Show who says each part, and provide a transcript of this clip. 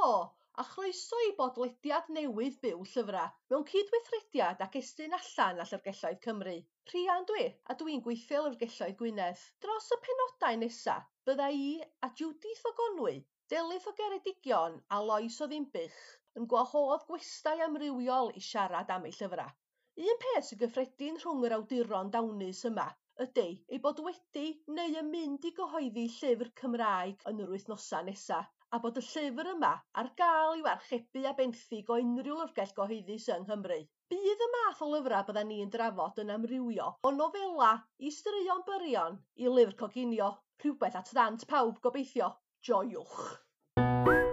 Speaker 1: Helo, a chroeso i bodlediad newydd Byw Llyfrau mewn cydweithrediad ac Estyn Allan a Llyfrgelloedd Cymru. Rhian dwi, a dwi'n gweithio i Lyfrgelloedd Gwynedd. Dros y penodau nesa, bydda i a Judith o Gonwy, Delyth o Geredigion a Lois o Ddinbych yn gwahodd gwestai amrywiol i siarad am eu llyfrau. Un peth sy'n gyffredin rhwng yr awduron dawnus yma ydy eu bod wedi neu yn mynd i gyhoeddi llyfr Cymraeg yn yr wythnosau nesaf, a bod y llyfr yma ar gael i'w archebu a benthyg o unrhyw lyfrgell gyhoeddus yng Nghymru. Bydd y math o lyfrau byddan ni'n drafod yn amrywio o nofela i straeon byrion i lyfr coginio, rhywbeth at ddant pawb gobeithio. Joiwch!